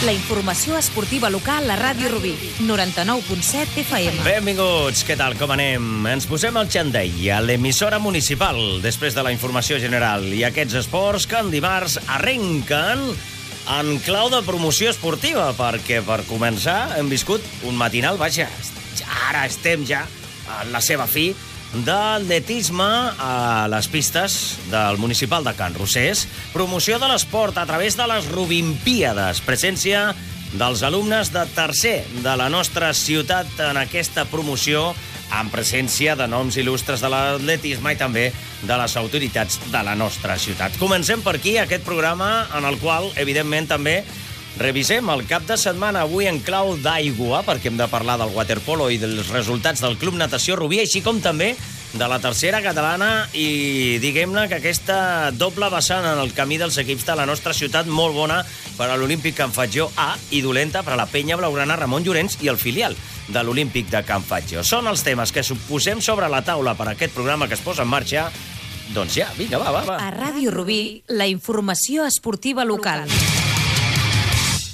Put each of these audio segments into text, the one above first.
La informació esportiva local a Ràdio Rubí, 99.7 FM. Benvinguts, què tal, com anem? Ens posem al xandall a l'emissora municipal després de la informació general i aquests esports que en dimarts arrenquen en clau de promoció esportiva, perquè per començar hem viscut un matinal, vaja, ara estem ja a la seva fi, d'atletisme a les pistes del municipal de Can Rosés, promoció de l'esport a través de les Rubimpíades, presència dels alumnes de tercer de la nostra ciutat en aquesta promoció, amb presència de noms il·lustres de l'atletisme i també de les autoritats de la nostra ciutat. Comencem per aquí aquest programa en el qual, evidentment, també revisem el cap de setmana avui en clau d'aigua, perquè hem de parlar del waterpolo i dels resultats del Club Natació Rubí, així com també de la tercera catalana i, diguem-ne, que aquesta doble vessant en el camí dels equips de la nostra ciutat, molt bona per a l'Olímpic Can Fatjó A i dolenta per a la penya blaugrana Ramon Llorens i el filial de l'Olímpic de Can Fatjó. Són els temes que posem sobre la taula per a aquest programa que es posa en marxa. Doncs ja, vinga, va. A Ràdio Rubí, la informació esportiva local.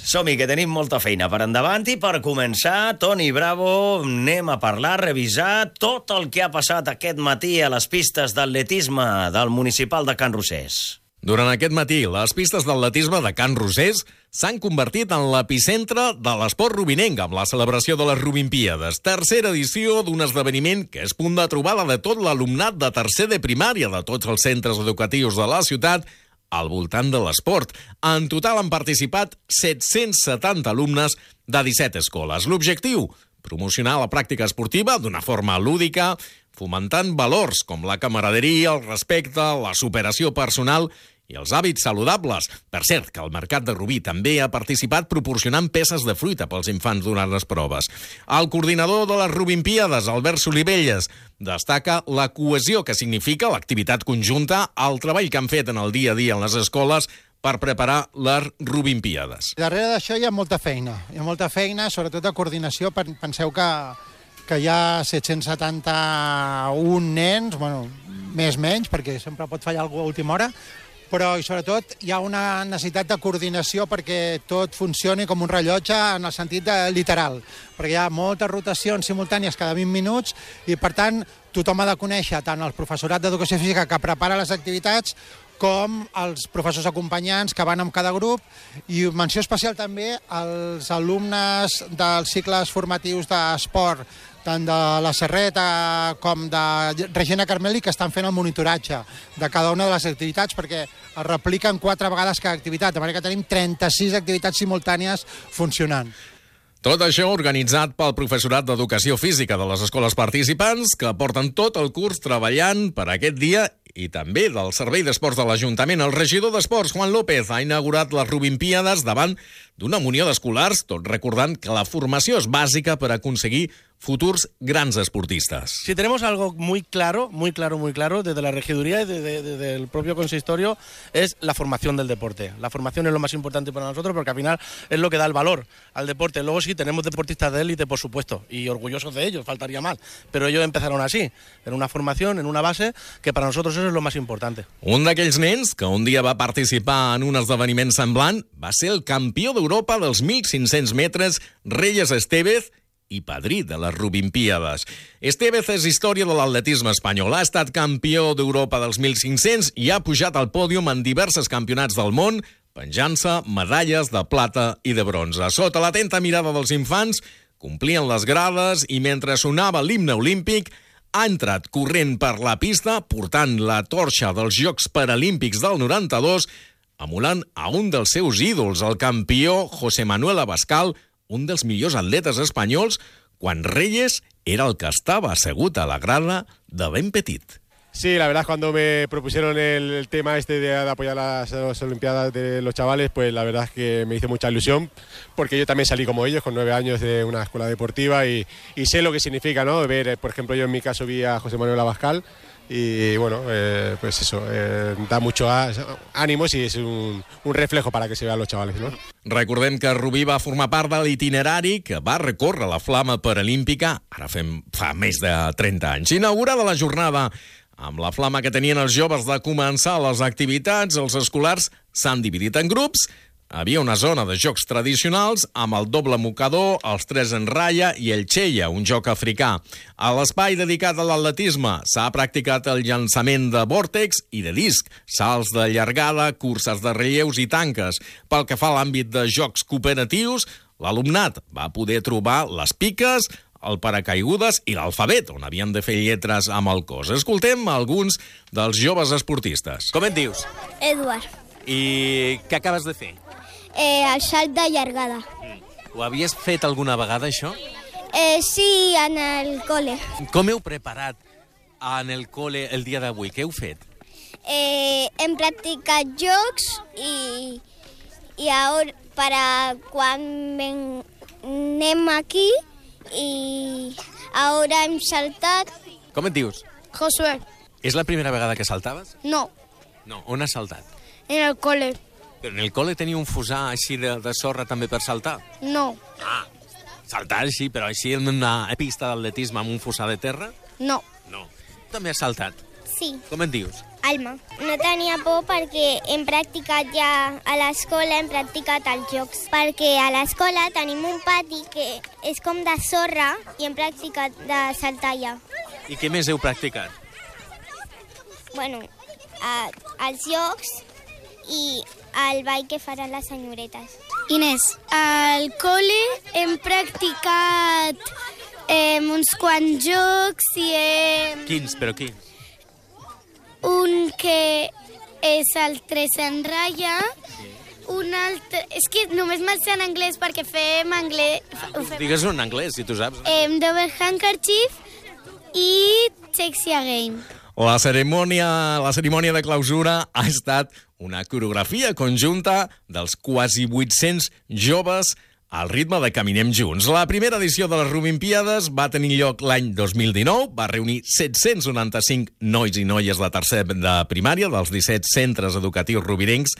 Som-hi, que tenim molta feina per endavant i per començar, Toni Bravo, anem a parlar, revisar tot el que ha passat aquest matí a les pistes d'atletisme del municipal de Can Rosés. Durant aquest matí, les pistes d'atletisme de Can Rosés s'han convertit en l'epicentre de l'esport rubinenc amb la celebració de les Rubimpíades, tercera edició d'un esdeveniment que és punt de trobada de tot l'alumnat de tercer de primària de tots els centres educatius de la ciutat al voltant de l'esport. En total han participat 770 alumnes de 17 escoles. L'objectiu, promocionar la pràctica esportiva d'una forma lúdica, fomentant valors com la camaraderia, el respecte, la superació personal i els hàbits saludables. Per cert, que el Mercat de Rubí també ha participat proporcionant peces de fruita pels infants durant les proves. El coordinador de les Rubimpíades, Albert Solivelles, destaca la cohesió que significa l'activitat conjunta, el treball que han fet en el dia a dia en les escoles per preparar les Rubimpíades. Darrere d'això hi ha molta feina, sobretot de coordinació. Penseu que hi ha 771 nens, menys, perquè sempre pot fallar alguna a última hora, però i sobretot hi ha una necessitat de coordinació perquè tot funcioni com un rellotge en el sentit literal, perquè hi ha moltes rotacions simultànies cada 20 minuts i, per tant, tothom ha de conèixer tant el professorat d'educació física que prepara les activitats com els professors acompanyants que van amb cada grup, i menció especial també als alumnes dels cicles formatius d'esport, tant de la Serreta com de Regina Carmeli, que estan fent el monitoratge de cada una de les activitats, perquè es repliquen 4 vegades cada activitat, de manera que tenim 36 activitats simultànies funcionant. Tot això organitzat pel professorat d'Educació Física de les escoles participants, que porten tot el curs treballant per aquest dia, i també del Servei d'Esports de l'Ajuntament. El regidor d'Esports, Juan López, ha inaugurat les Rubimpíades davant d'una munió d'escolars, tot recordant que la formació és bàsica per aconseguir futuros grandes esportistas. Si tenemos algo muy claro desde la regiduría y desde el propio consistorio, es la formación del deporte. La formación es lo más importante para nosotros porque al final es lo que da el valor al deporte. Luego sí, tenemos deportistas de élite, por supuesto, y orgullosos de ellos, faltaría más. Pero ellos empezaron así, en una formación, en una base, que para nosotros eso es lo más importante. Un d'aquells nens que un dia va participar en un esdeveniment semblant va ser el campió d'Europa dels 1.500 metres, Reyes Estevez, i padrí de les Rubimpíades. Estevez és història de l'atletisme espanyol. Ha estat campió d'Europa dels 1.500 i ha pujat al pòdium en diversos campionats del món, penjant-se medalles de plata i de bronze. Sota l'atenta mirada dels infants, complien les grades i mentre sonava l'himne olímpic, ha entrat corrent per la pista, portant la torxa dels Jocs Paralímpics del 92, emulant a un dels seus ídols, el campió José Manuel Abascal, un dels millors atletes espanyols, quan Reyes era el que estava assegut a la grada de ben petit. Sí, la verdad, cuando me propusieron el tema de apoyar las Olimpiadas de los chavales, pues la verdad es que me hizo mucha ilusión, porque yo también salí como ellos, con 9 años de una escuela deportiva, y sé lo que significa, ¿no? Ver, por ejemplo, yo en mi caso vi a José Manuel Abascal, y bueno, pues eso, da mucho ánimos i és un reflejo para que se vean los chavales, ¿no? Recordem que Rubí va formar part de l'itinerari que va recórrer la flama paralímpica, ara fa més de 30 anys. Inaugurada la jornada amb la flama que tenien els joves de començar les activitats, els escolars s'han dividit en grups, havia una zona de jocs tradicionals amb el doble mocador, els 3 en ratlla i el cheia, un joc africà. A l'espai dedicat a l'atletisme s'ha practicat el llançament de vòrtex i de disc, salts de llargada, curses de relleus i tanques. Pel que fa a l'àmbit de jocs cooperatius, l'alumnat va poder trobar les piques, el paracaigudes i l'alfabet, on havien de fer lletres amb el cos. Escoltem alguns dels joves esportistes. Com et dius? Eduard. I què acabes de fer? El salt de llargada. Ho havies fet alguna vegada, això? Sí, en el cole. Com heu preparat en el cole el dia d'avui? Què heu fet? Hem practicat jocs i ara, quan anem aquí, i ara hem saltat. Com et dius? Josué. És la primera vegada que saltaves? No, No, on has saltat? en el cole. Però en el col·le teniu un fusar així de sorra també per saltar? No, Saltar, sí, però així en una pista d'atletisme amb un fusar de terra? no. No. També has saltat. Sí. Com et dius? Alma. No tenia por perquè hem practicat ja a l'escola, hem practicat els jocs. Perquè a l'escola tenim un pati que és com de sorra i hem practicat de saltar allà. I què més heu practicat? Bueno, els jocs i el ball que faran les senyoretes. Inés, al col·le hem practicat uns quants jocs i Quins, però quins? un que és el 3 en ratlla, un altre... És que només me'l sé en anglès perquè fem anglès... Digues-ho en anglès, si tu saps. Double handkerchief i sexy again. La cerimònia de clausura ha estat una coreografia conjunta dels quasi 800 joves al ritme de Caminem Junts. La primera edició de les Rubimpíades va tenir lloc l'any 2019, va reunir 795 nois i noies de tercer de primària dels 17 centres educatius rubinencs,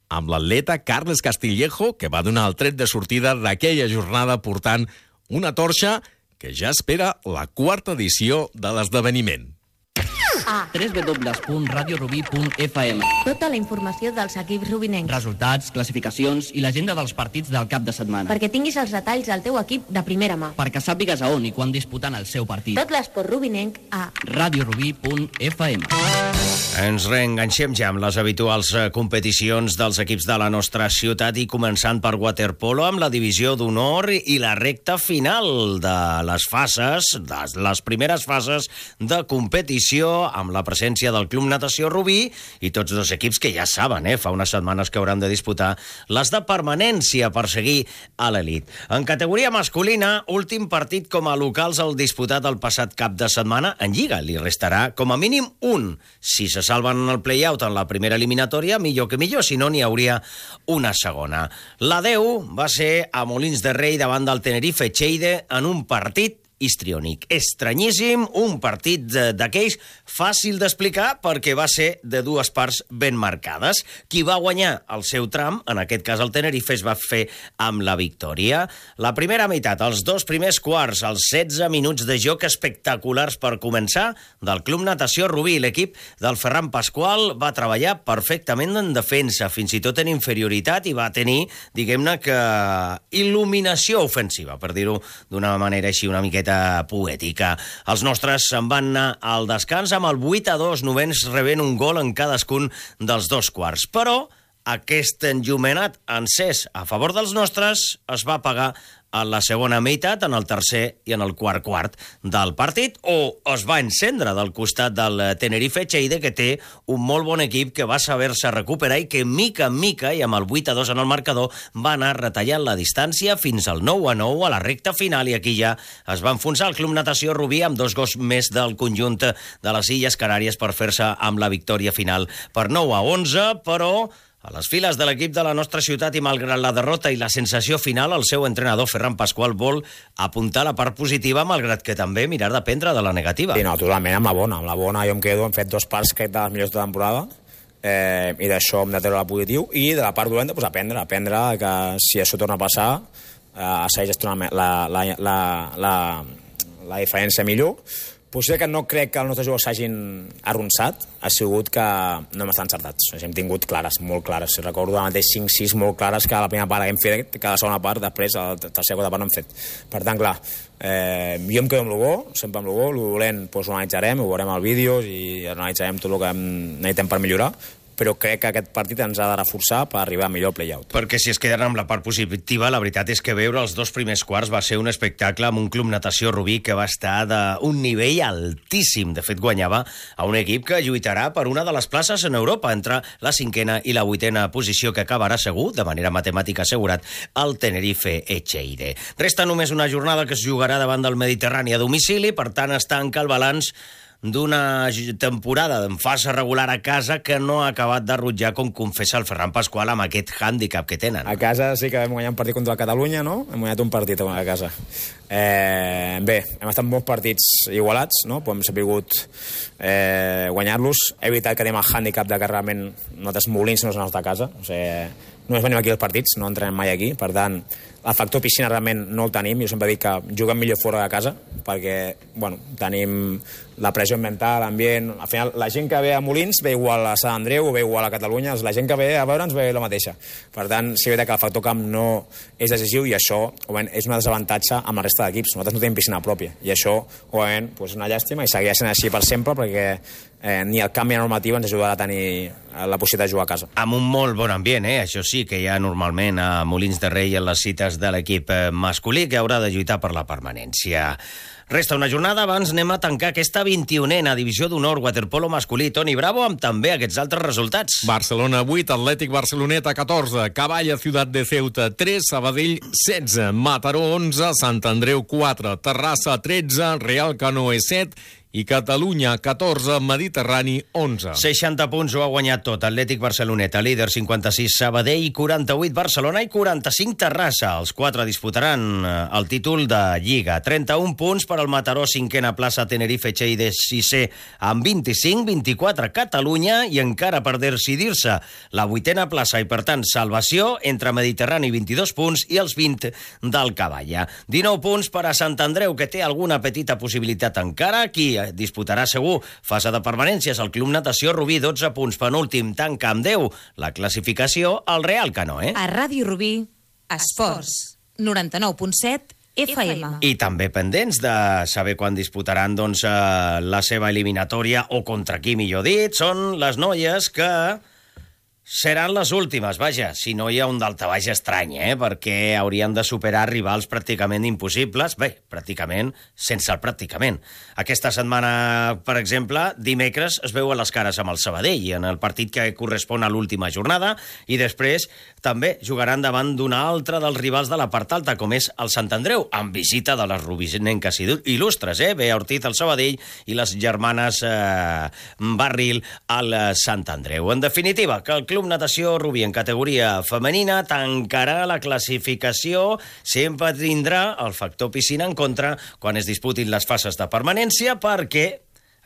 amb l'atleta Carles Castillejo, que va donar el tret de sortida d'aquella jornada portant una torxa que ja espera la quarta edició de l'esdeveniment. www.radiorubí.fm. Tota la informació dels equips rubinencs. Resultats, classificacions i l'agenda dels partits del cap de setmana. Perquè tinguis els detalls del teu equip de primera mà. Perquè sàpigues a on i quan disputen el seu partit. Tot l'esport rubinenc a radiorubí.fm. Ens reenganxem ja amb les habituals competicions dels equips de la nostra ciutat i començant per waterpolo amb la divisió d'honor i la recta final de les fases, de les primeres fases de competició amb la presència del Club Natació Rubí i tots dos equips que ja saben, fa unes setmanes que hauran de disputar les de permanència per seguir a l'elit. En categoria masculina, últim partit com a locals el disputat el passat cap de setmana en Lliga. Li restarà com a mínim un. Si se salven en el play-out en la primera eliminatòria, millor que millor, si no n'hi hauria una segona. La 10 va ser a Molins de Rei davant del Tenerife Cheide en un partit histriònic. Estranyíssim, un partit d'aquells fàcil d'explicar perquè va ser de dues parts ben marcades. Qui va guanyar el seu tram, en aquest cas el Tenerife, es va fer amb la victòria. La primera meitat, els dos primers quarts, els 16 minuts de joc espectaculars per començar del Club Natació Rubí. L'equip del Ferran Pasqual va treballar perfectament en defensa, fins i tot en inferioritat, i va tenir, diguem-ne que, il·luminació ofensiva, per dir-ho d'una manera així una miqueta poètica. Els nostres se'n van anar al descans amb el 8-2, novens rebent un gol en cadascun dels dos quarts. Però aquest enllumenat encès a favor dels nostres es va pagar en la segona meitat, en el tercer i en el quart del partit, o es va encendre del costat del Tenerife Cheide, que té un molt bon equip que va saber-se recuperar i que mica en mica, i amb el 8-2 en el marcador, va anar retallant la distància fins al 9-9 a la recta final, i aquí ja es va enfonsar el Club Natació Rubí amb 2 gols més del conjunt de les Illes Canàries per fer-se amb la victòria final per 9-11, però a les files de l'equip de la nostra ciutat i malgrat la derrota i la sensació final, el seu entrenador Ferran Pasqual vol apuntar la part positiva, malgrat que també mirar d'aprendre de la negativa. Sí, no, totalment, amb la bona. Amb la bona jo em quedo, hem fet 2 parts crec de les millors de temporada, i d'això hem de treure la positiu, i de la part dolenta, doncs, aprendre que si això torna a passar, segueix gestionant la diferència millor, Potser que no crec que els nostres jugadors s'hagin arronsat, ha sigut que no hem estat encertats. Hem tingut clares, molt clares. Recordo el mateix 5-6 molt clares que a la primera part hem fet, que a la segona part, després, a la tercera quarta part no hem fet. Per tant, clar, jo em quedo amb el bo, sempre amb el bo, el dolent ho analitzarem, ho veurem als vídeos i analitzarem tot el que necessitem per millorar, però crec que aquest partit ens ha de reforçar per arribar millor al play-out. Perquè si es queden amb la part positiva, la veritat és que veure els 2 primers quarts va ser un espectacle amb un Club Natació Rubí que va estar d'un nivell altíssim. De fet, guanyava a un equip que lluitarà per una de les places en Europa, entre la 5a i la 8a posició, que acabarà segur, de manera matemàtica assegurat, el Tenerife Echeire. Resta només una jornada que es jugarà davant del Mediterrani a domicili, per tant es tanca el balanç d'una temporada en fase regular a casa que no ha acabat de rutllar, com confessa el Ferran Pasqual, amb aquest hàndicap que tenen. A casa sí que vam guanyar un partit contra la Catalunya, no? Hem guanyat un partit a casa. Bé, hem estat molts partits igualats, no? Però hem sabut guanyar-los. He evitat que tenim el hàndicap de que realment nosaltres Molins no és la nostra casa. O sigui, només venim aquí als partits, no entrenem mai aquí. Per tant, el factor piscina realment no el tenim. Jo sempre dic que juguem millor fora de casa perquè, bueno, tenim la pressió mental, l'ambient... Al final, la gent que ve a Molins ve igual a Sant Andreu o ve igual a Catalunya. La gent que ve a veure'ns ve la mateixa. Per tant, sí que el factor camp no és decisiu i això, òbviament, és un desavantatge amb la resta d'equips. Nosaltres no tenim piscina pròpia i això, òbviament, és una llàstima i seguirà sent així per sempre perquè ni el canvi de normativa ens ajudarà a tenir la possibilitat de jugar a casa. Amb un molt bon ambient, això sí, que hi ha normalment a Molins de Rei en les cites de l'equip masculí, que haurà de lluitar per la permanència. Resta una jornada, abans anem a tancar aquesta 21a divisió d'honor waterpolo masculí. Toni Bravo, amb també aquests altres resultats. Barcelona 8, Atlètic Barceloneta 14, Cavalla Ciutat de Ceuta 3, Sabadell 16, Mataró 11, Sant Andreu 4, Terrassa 13, Real Canoe 7 i Catalunya 14, Mediterrani 11. 60 punts ho ha guanyat tot. Atlètic Barceloneta, líder 56, Sabadell 48, Barcelona i 45, Terrassa. Els 4 disputaran el títol de Lliga. 31 punts per al Mataró, 5a plaça, Tenerife Echeire 6è amb 25, 24 Catalunya i encara per decidir-se la 8a plaça i per tant salvació entre Mediterrani 22 punts i els 20 del Cavalla. 19 punts per a Sant Andreu, que té alguna petita possibilitat encara. Aquí disputarà segur fase de permanències el Club Natació Rubí, 12 punts, penúltim, tanca amb 10 la classificació al Real Canoe. A Ràdio Rubí, Esports, 99.7 FM. I també pendents de saber quan disputaran la seva eliminatòria, o contra qui, millor dit, són les noies que seran les últimes, vaja, si no hi ha un daltabaix estrany, perquè haurien de superar rivals pràcticament impossibles, bé, pràcticament, sense el pràcticament. Aquesta setmana, per exemple, dimecres es veuen les cares amb el Sabadell en el partit que correspon a l'última jornada i després també jugaran davant d'un altre dels rivals de la part alta, com és el Sant Andreu, amb visita de les rubinenques il·lustres, Bea Ortiz al Sabadell i les germanes Barril al Sant Andreu. En definitiva, que el Club Natació Rubí en categoria femenina tancarà la classificació, sempre tindrà el factor piscina en contra quan es disputin les fases de permanència, perquè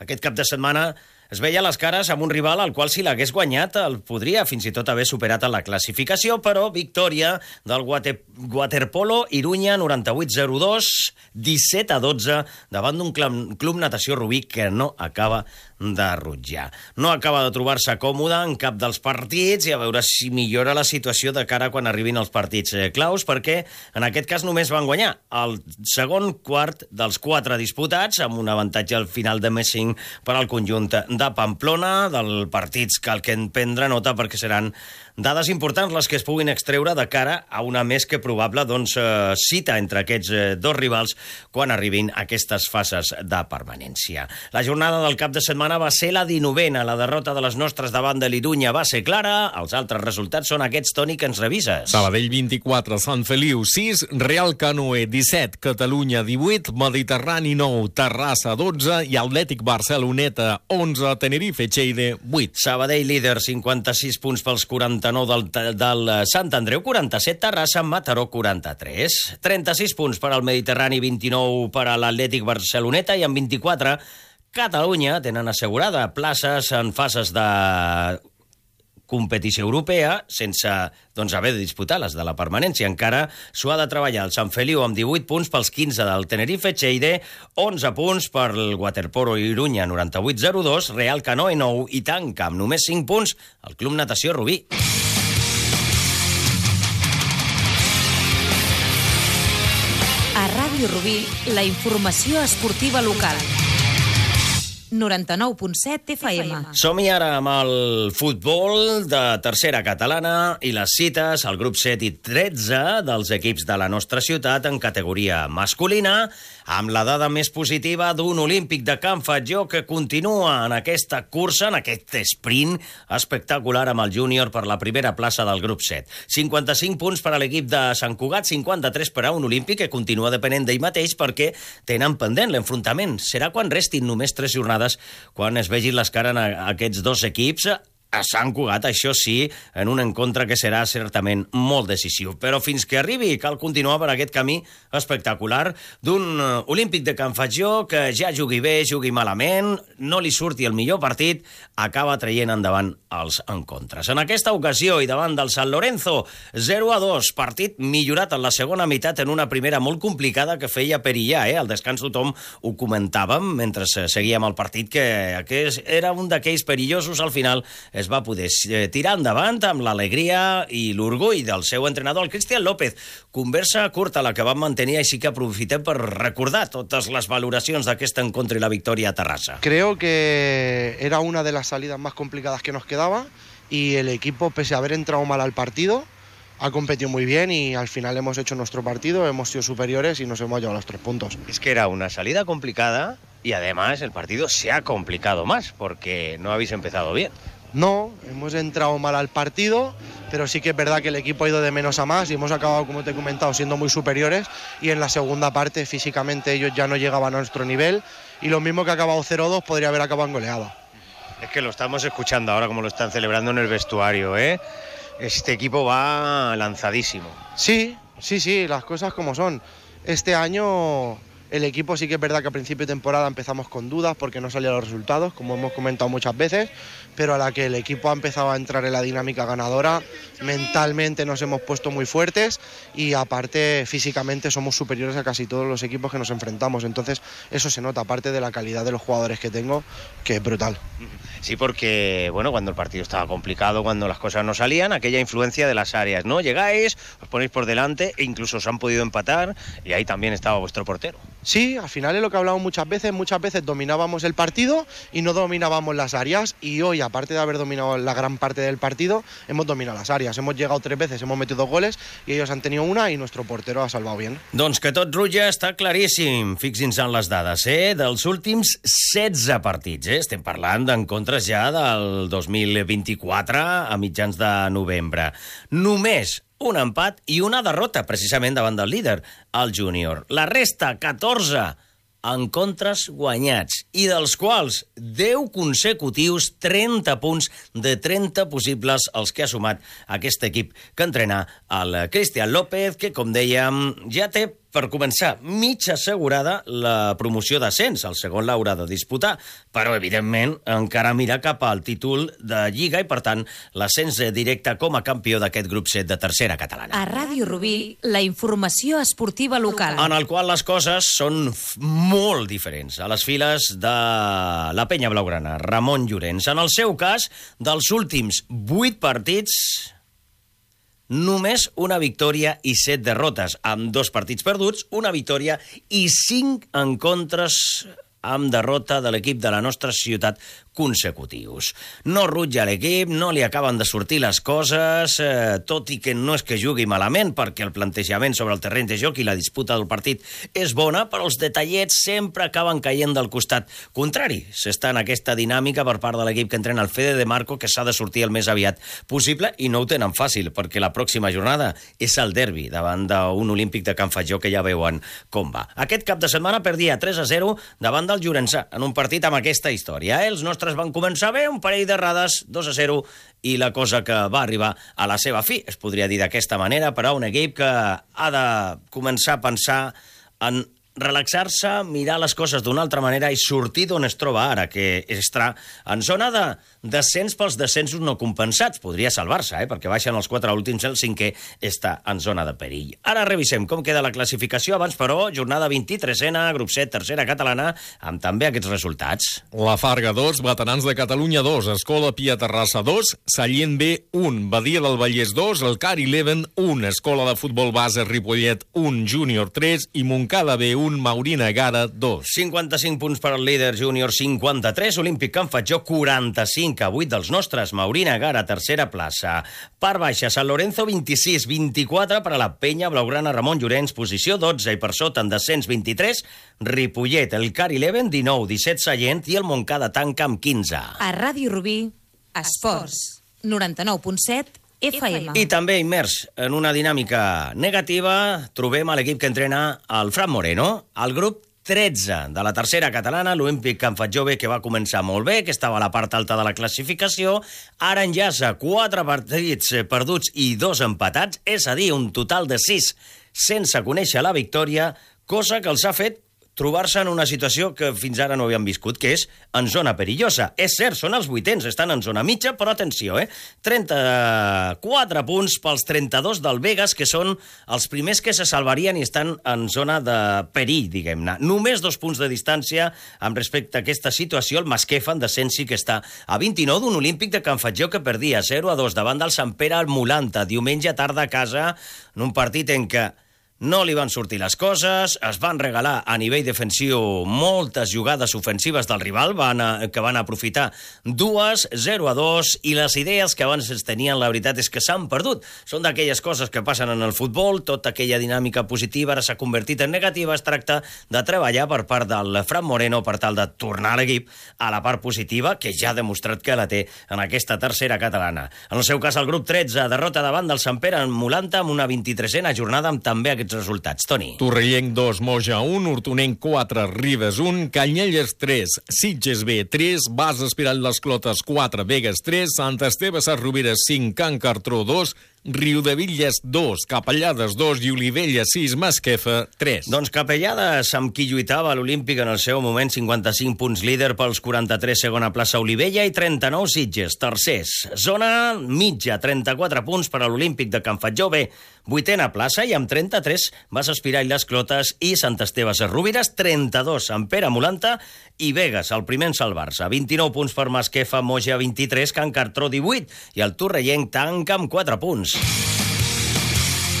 aquest cap de setmana es veia les cares amb un rival al qual, si l'hagués guanyat, el podria fins i tot haver superat a la classificació, però victòria del waterpolo Irunya 98-02, 17-12, davant d'un Club Natació Rubí que no acaba de rutllar. No acaba de trobar-se còmode en cap dels partits i a veure si millora la situació de cara quan arribin els partits claus, perquè en aquest cas només van guanyar el segon quart dels 4 disputats, amb un avantatge al final de més 5 per al conjunt de Pamplona, del partits cal que en prendre nota perquè seran dades importants les que es puguin extreure de cara a una més que probable cita entre aquests dos rivals quan arribin aquestes fases de permanència. La jornada del cap de setmana va ser la 19a. La derrota de les nostres davant de l'Irunya va ser clara. Els altres resultats són aquests, Toni, que ens revises. Sabadell 24, Sant Feliu 6, Real Canoe 17, Catalunya 18, Mediterrani 9, Terrassa 12 i Atlètic Barceloneta 11, Tenerife Echeire 8. Sabadell líder, 56 punts pels 49 del Sant Andreu, 47 Terrassa, Mataró 43. 36 punts per al Mediterrani, 29 per a l'Atlètic Barceloneta i amb 24 Catalunya tenen assegurada places en fases de competició europea sense haver de disputar les de la permanència. Encara s'ho ha de treballar el Sant Feliu amb 18 punts pels 15 del Tenerife Cheide, 11 punts per el Waterpolo Iruña 98-02, Real Canoe 9 i tanca amb només 5 punts el Club Natació Rubí. A Ràdio Rubí, la informació esportiva local. 99.7 FM. Som-hi ara amb el futbol de tercera catalana i les cites al grup 7 i 13 dels equips de la nostra ciutat en categoria masculina, amb la dada més positiva d'un olímpic de Can Fatjó que continua en aquesta cursa, en aquest sprint espectacular amb el júnior per la primera plaça del grup 7. 55 punts per a l'equip de Sant Cugat, 53 per a un olímpic que continua depenent d'ell mateix perquè tenen pendent l'enfrontament. Serà quan restin només 3 jornades quan es vegin les cares a aquests dos equips a Sant Cugat, això sí, en un encontre que serà certament molt decisiu. Però fins que arribi cal continuar per aquest camí espectacular d'un olímpic de Can Fatjó que ja jugui bé, jugui malament, no li surti el millor partit, acaba traient endavant els encontres. En aquesta ocasió i davant del San Lorenzo, 0-2, partit millorat en la segona meitat en una primera molt complicada que feia perillar. Al descans tothom ho comentàvem mentre seguíem el partit, que era un d'aquells perillosos. Al final es va poder tirar endavant amb l'alegria i l'orgull del seu entrenador, el Cristian López. Conversa curta la que vam mantenir, així que aprofitem per recordar totes les valoracions d'aquest encontre i la victòria a Terrassa. Creo que era una de las salidas más complicadas que nos quedaba y el equipo, pese a haber entrado mal al partido, ha competido muy bien y al final hemos hecho nuestro partido, hemos sido superiores y nos hemos llevado los 3 puntos. Es que era una salida complicada y además el partido se ha complicado más porque no habéis empezado bien. No, hemos entrado mal al partido, pero sí que es verdad que el equipo ha ido de menos a más y hemos acabado, como te he comentado, siendo muy superiores, y en la segunda parte físicamente ellos ya no llegaban a nuestro nivel y lo mismo que ha acabado 0-2 podría haber acabado en goleada. Es que lo estamos escuchando ahora como lo están celebrando en el vestuario, ¿eh? Este equipo va lanzadísimo. Sí, las cosas como son. Este año el equipo sí que es verdad que a principio de temporada empezamos con dudas porque no salían los resultados, como hemos comentado muchas veces, pero a la que el equipo ha empezado a entrar en la dinámica ganadora, mentalmente nos hemos puesto muy fuertes y aparte físicamente somos superiores a casi todos los equipos que nos enfrentamos. Entonces eso se nota, aparte de la calidad de los jugadores que tengo, que es brutal. Sí, porque bueno, cuando el partido estaba complicado, cuando las cosas no salían, aquella influencia de las áreas, ¿no? Llegáis, os ponéis por delante e incluso os han podido empatar y ahí también estaba vuestro portero. Sí, al final es lo que hablamos muchas veces dominábamos el partido y no dominábamos las áreas, y hoy, aparte de haber dominado la gran parte del partido, hemos dominado las áreas, hemos llegado 3 veces, hemos metido 2 goles y ellos han tenido una y nuestro portero ha salvado bien. Doncs que tot rutlla està claríssim, fixin-se en les dades, dels últims 16 partits, estem parlant d'encontres ja del 2024 a mitjans de novembre. Només un empat i una derrota, precisament davant del líder, el júnior. La resta, 14 encontres guanyats, i dels quals 10 consecutius, 30 punts de 30 possibles els que ha sumat aquest equip que entrena el Cristian López, que, com dèiem, ja té per començar, mig assegurada la promoció d'ascens. El segon l'haurà de disputar, però, evidentment, encara mira cap al títol de Lliga i, per tant, l'ascens directe com a campió d'aquest grup 7 de tercera catalana. A Ràdio Rubí, la informació esportiva local. En el qual les coses són molt diferents. A les files de la penya blaugrana, Ramon Llorens. En el seu cas, dels últims 8 partits, només una victòria i 7 derrotes, amb 2 partits perduts, una victòria i 5 encontres amb derrota de l'equip de la nostra ciutat consecutius. No rutlla l'equip, no li acaben de sortir les coses, tot i que no és que jugui malament, perquè el plantejament sobre el terreny de joc i la disputa del partit és bona, però els detallets sempre acaben caient del costat contrari. S'està en aquesta dinàmica per part de l'equip que entrena el Fede de Marco, que s'ha de sortir el més aviat possible, i no ho tenen fàcil, perquè la pròxima jornada és el derbi davant d'un olímpic de Can Fatjó, que ja veuen com va. Aquest cap de setmana perdia 3-0 davant del Llorençà, en un partit amb aquesta història. Els nostres van començar bé, un parell d'errades, 2-0, i la cosa que va arribar a la seva fi, es podria dir d'aquesta manera, per a un equip que ha de començar a pensar en relaxar-se, mirar les coses d'una altra manera i sortir d'on es troba ara, que està en zona descens pels descensos no compensats. Podria salvar-se, perquè baixen els 4 últims, el 5è està en zona de perill. Ara revisem com queda la classificació. Abans, però, jornada 23ena, grup 7, tercera catalana, amb també aquests resultats. La Farga 2, Veterans de Catalunya 2, Escola Pia Terrassa 2, Sallent B 1, Badia del Vallès 2, el CAR 11 1, Escola de Futbol Base Ripollet 1, Júnior 3 i Montcada B 1, Maurina Gara 2. 55 punts per al líder júnior, 53, Olímpic Can Fatjó 45 a 8 dels nostres, Maurina Gara tercera plaça. Part baixa, Sant Lorenzo 26, 24 per a la Penya Blaugrana Ramon Llorenç, posició 12 i per sota en descens 23, Ripollet, el CAR 11, 19, 17 Sallent i el Montcada tanca amb 15. A Ràdio Rubí, Esports, 99.7 FM. I també immers en una dinàmica negativa trobem a l'equip que entrena el Fran Moreno, el grup 13 de la tercera catalana, l'Olímpic Can Fatjó B, que va començar molt bé, que estava a la part alta de la classificació, ara enllaça 4 partits perduts i 2 empatats, és a dir, un total de 6 sense conèixer la victòria, cosa que els ha fet trobar-se en una situació que fins ara no havien viscut, que és en zona perillosa. És cert, són els 8ens, estan en zona mitja, però atenció, 34 punts pels 32 del Vegas, que són els primers que se salvarien i estan en zona de perill, diguem-ne. Només 2 punts de distància amb respecte a aquesta situació. El Masquefa, en descens, sí que està a 29 d'un Olímpic de Can Fatjó que perdia 0-2 davant del Sant Pere al Mulanta, diumenge tarda a casa, en un partit en què no li van sortir les coses, es van regalar a nivell defensiu moltes jugades ofensives del rival, que van aprofitar 2, 0-2, i les idees que abans es tenien, la veritat és que s'han perdut. Són d'aquelles coses que passen en el futbol, tota aquella dinàmica positiva ara s'ha convertit en negativa. Es tracta de treballar per part del Fran Moreno per tal de tornar l'equip a la part positiva, que ja ha demostrat que la té en aquesta tercera catalana. En el seu cas, el grup 13, derrota davant del Sant Pere en Mulanta amb una 23a jornada amb també aquests resultats. Toni. Torrellenc 2, Moja 1, Hortonenc 4, Ribes 1, Canyelles 3, Sitges B 3, Bas Espiral les Clotes 4, Vegas 3, Sant Esteve Sarrovires 5, Can Cartró 2, Riudevilles 2, Capellades 2 i Olivella 6, Masquefa 3. Doncs Capellades, amb qui lluitava l'Olímpic en el seu moment, 55 punts líder pels 43, segona plaça Olivella, i 39 Sitges, tercers. Zona mitja, 34 punts per a l'Olímpic de Can Fatjó B, 8a plaça, i amb 33 Bas Espiral les Clotes i Sant Esteve Sarrovires, 32 Sant Pere Mulanta i Vegas, el primer en salvar-se. 29 punts per Masquefa, Moja 23, Can Cartró 18, i el Torrellenc tanca amb 4 punts.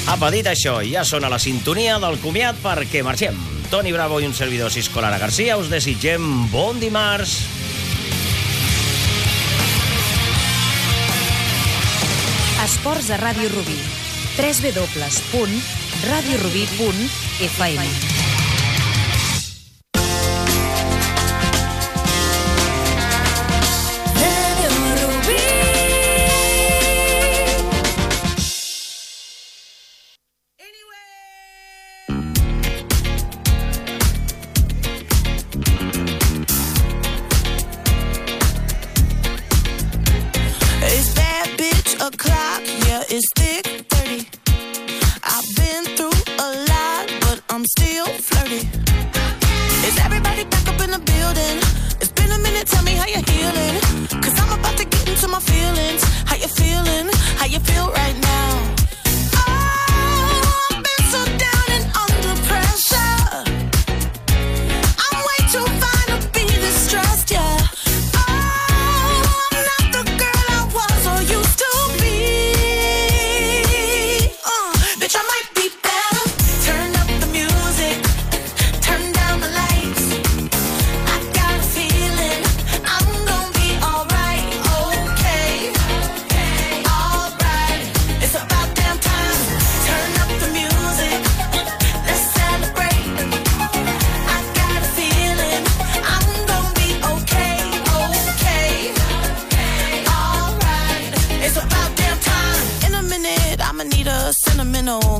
Apa, dit això, ja sona la sintonia del comiat perquè marxem. Toni Bravo i un servidor Cisco Lara Garcia us desitgem bon dimarts. Esports a Ràdio Rubí. www.radiorubí.fm. It's thick 30. I've been through a lot, but I'm still flirty. Is everybody back up in the building? It's been a minute, tell me how you're healing. Cause I'm about to get into my feelings. How you feeling? How you feel right now? Oh, I've been so down and under pressure. I'm way too fine to be distressed, yeah.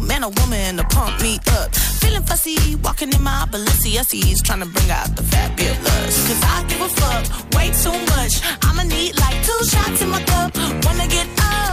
Man or woman to pump me up. Feeling fussy, walking in my Balenciennes, trying to bring out the fabulous. Cause I give a fuck way too much. I'ma need like 2 shots in my cup. Wanna get up